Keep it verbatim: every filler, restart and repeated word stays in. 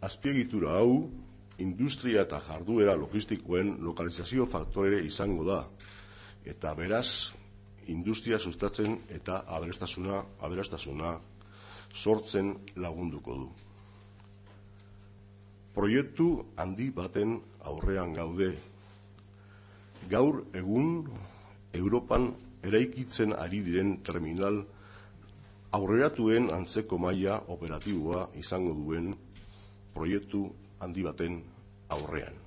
Azpiegitura hau, industria eta jarduera logistikoen lokalizazio faktore izango da, eta beraz, industria sustatzen eta aberastasuna, aberastasuna sortzen lagunduko du. Proiektu handi baten aurrean gaude. Gaur egun Europan eraikitzen ari diren terminal aurreratuen antzeko maila operatiboa izango duen proiektu handi baten aurrean.